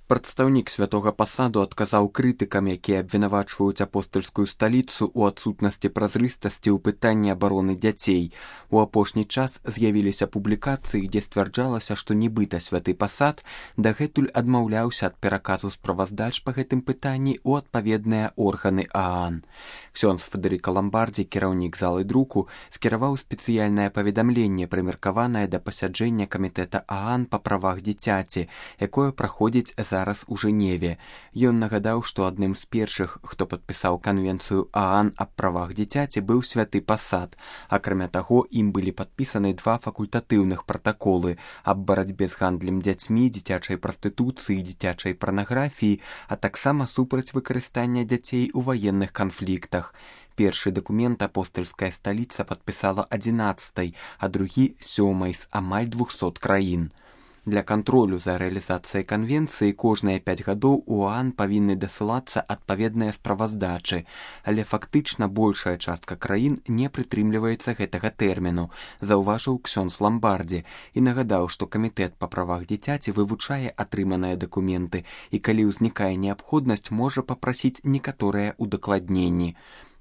Прадстаўнік святога пасаду адказаў крытыкам, якія абвінавачваюць апостальскую сталіцу ў адсутнасці празрыстасці ў пытанні абароны дзяцей. У апошні час з'явіліся публікацыі, дзе сцвярджалася, што нібыта святы пасад дагэтуль адмаўляўся ад пераказу справаздач па гэтым пытанні ў адпаведныя органы ААН. Ксёндз Федэрыка Ламбардзі, кіраўнік залы друку, скіраваў спецыяльнае паведамленне, прымеркаванае да пасяджэння камітэта ААН па правах дзіцяці, якое праходзіць зараз у Жэневе. Ён нагадаў, што адным з першых, хто падпісаў канвенцыю ААН аб правах дзіцяці, быў святы пасад. Акрамя таго, ім былі падпісаны два факультатыўных пратаколы аб барацьбе з гандлем дзяцьмі, дзіцячай прастытуцыі, дзіцячай парнаграфіі, а таксама супраць выкарыстання дзяцей у ваенных канфліктах. Першы дакумент апостальская сталіца падпісала 11-й, а другі 7-й з амаль 200 краін. Для кантролю за рэалізацыяй канвенцыі кожныя 5 гадоў у ААН павінны дасылацца адпаведныя справаздачы, але фактычна большая частка краін не прытрымліваецца гэтага тэрміну, заўважыў Ксёндз Ламбардзі і нагадаў, што камітэт па правах дзіцяці вывучае атрыманыя дакументы і калі ўзнікае неабходнасць, можа папрасіць некаторыя удакладненні.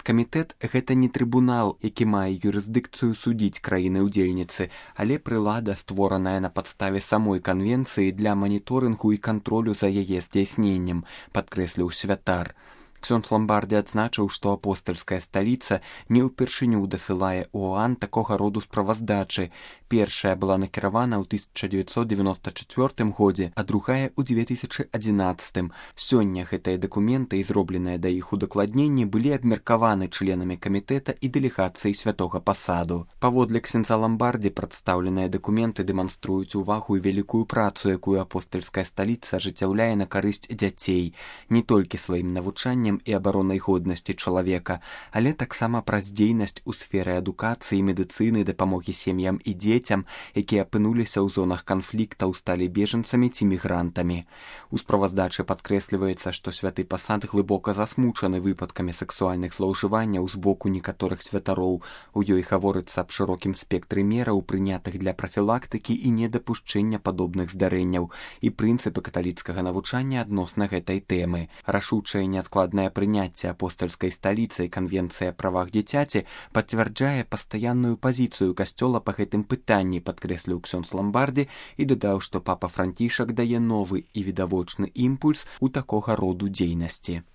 Камітэт – гэта не трыбунал, які мае юрысдыкцыю судзіць краіны-ўдзельніцы, але прылада, створаная на падставе самой канвенцыі для маніторынгу і кантролю за яе здзяйсненнем, падкрэсліў святар. Ксёндз Ламбардзі адзначыў, што апостальская сталіца не ўпершыню дасылае ў ААН такога роду справаздачы. Першая была накіравана ў 1994 годзе, а другая ў 2011. Сёння гэтыя дакументы і зробленыя да іх удакладненні былі абмеркаваны членамі камітэта і дэлегацыі святога пасаду. Паводле ксяндза Ламбардзі прадстаўленыя дакументы дэманструюць увагу і вялікую працу, якую апостальская сталіца ажыццяўляе на карысць дзяцей, не толькі сваім навучаннем і абаронай годнасці чалавека, але таксама праз дзейнасць у сферы адукацыі, медыцыны, дапамогі сем'ям і дзецям, якія апынуліся ў зонах канфліктаў, сталі бежанцамі ці мігрантамі. У справаздачы падкрэсліваецца, што святы пасад глыбока засмучаны выпадкамі сексуальных злоўжыванняў з боку некаторых святароў. У ёй гаворыцца аб шырокім спектры мераў, прынятых для прафілактыкі і недапушчэння падобных здарэнняў, і прынцыпы каталіцкага навучання адносна гэтай тэмы. Рашучае неадкладнае прыняцце апостальскай сталіцы і канвенцыя правах дзіцяці пацвярджае пастаянную пазіцыю касцёла па гэтым пытанні, падкрэсліў Ксёндз Ламбардзі і дадаў, што папа Францішак дае новы і відавочны імпульс у такога роду дзейнасці.